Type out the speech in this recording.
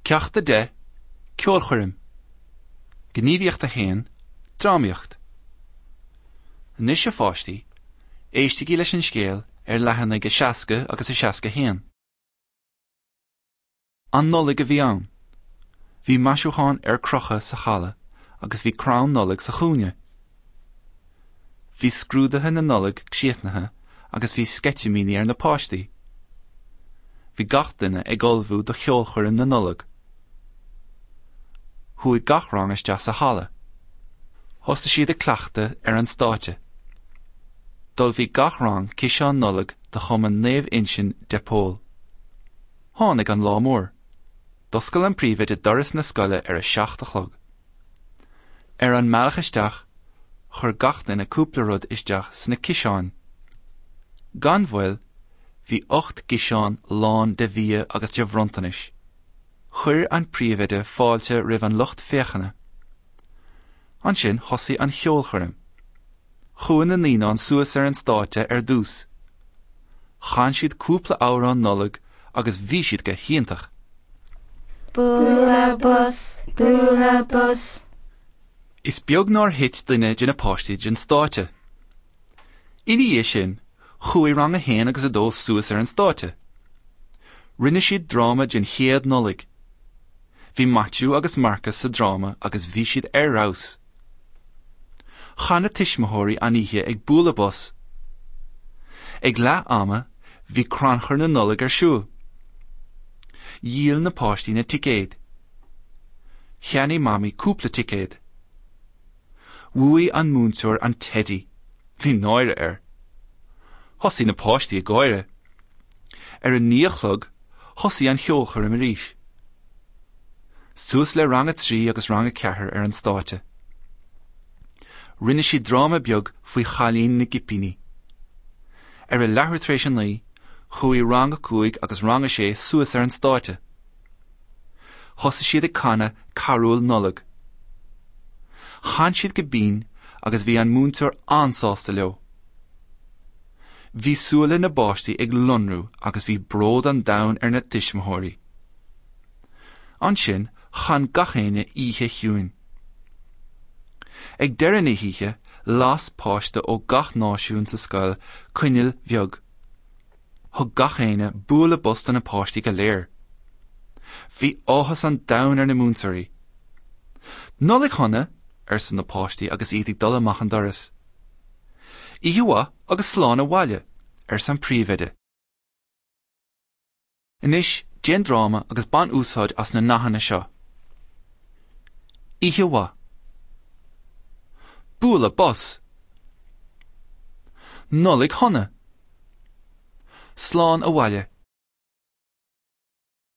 Ceacht 10, Ceolchoirm. Gníomhaíocht 1, Drámaíocht. Anois a pháistí, éistigí leis an scéal ar leathanaigh 60 agus 61. An Nollaig a bhí ann. Bhí maisiúcháin ar crochadh sa halla agus bhí crann Nollag sa chúinne. Bhí scrúduithe na Nollag críochnaithe agus bhí sceitimíní ar na páistí. Bhí gach duine ag ullmhú do cheolchoirm na Nollag. Chuaigh gach rang isteach sa halla. Thosaigh siad ag cleachtadh ar an stáitse. D'ullmhaigh gach rang ciseán Nollag do Chumann Naomh Uinseann de Pól. Tháinig an lá mór. D'oscail an príomhoide doras na scoile ar a 7 a chlog. Ar an mbealach isteach, chuir gach duine cúpla rud isteach sna ciseáin. Gan mhoill, bhí 8 gciseán lán de bhia agus de bhronntanais. Chuir an príomhoide fáilte roimh an lucht féachana. Ansin thosaigh an cheolchoirm. Chuaigh na naíonáin suas ar an stáitse ar dtús. Chan siad cúpla amhrán Nollag agus bhí siad go hiontach. Bualadh bos, bualadh bos. Is beag nár thit duine de na páistí den stáitse. Ina dhiaidh sin, chuaigh rang a haon agus a dó suas ar an stáitse. Rinne siad dráma den chéad Nollaig. Bhí Maitiú agus Marcas sa dráma agus bhí siad ar fheabhas. Chaith na tuismitheoirí an oíche ag bualadh bos. Ag leath ama, bhí crannchur na Nollag ar siúl. Dhíol na páistí na ticéid. Cheannaigh Mamaí cúpla ticéad. Bhuaigh an múinteoir an teidí. Bhí náire air. Thosaigh na páistí ag gáire. Ar a 9 a chlog, thosaigh an cheolchoirm arís. Suas le rang a 3 agus rang a 4 ar an stáitse. Rinne siad dráma beag faoi chailín na gcipíní. Ar a leathuair tar éis a 9, chuaigh rang a 5 agus rang a 6 suas ar an stáitse. Thosaigh siad ag canadh carúil Nollag. Chan siad go binn agus bhí an múinteoir an-sásta leo. Bhí súile na bpáistí ag lonrú agus bhí bród an domhain ar na tuismitheoirí. Ansin chan gach éinne Oíche Chiúin. Ag deireadh na hoíche, las páiste ó gach náisiún sa scoil coinneal bheag. Thug gach éinne bualadh bos do na páistí go léir. Bhí áthas an domhain ar na múinteoirí. Nollaig shona! arsa na páistí agus iad ag dul amach an doras. Oíche mhaith agus slán abhaile! arsa an príomhoide. Anois, déan dráma agus bain úsáid as na nathanna seo. Oíche mhaith. Bualadh bos. Nollaig shona. Slán abhaile.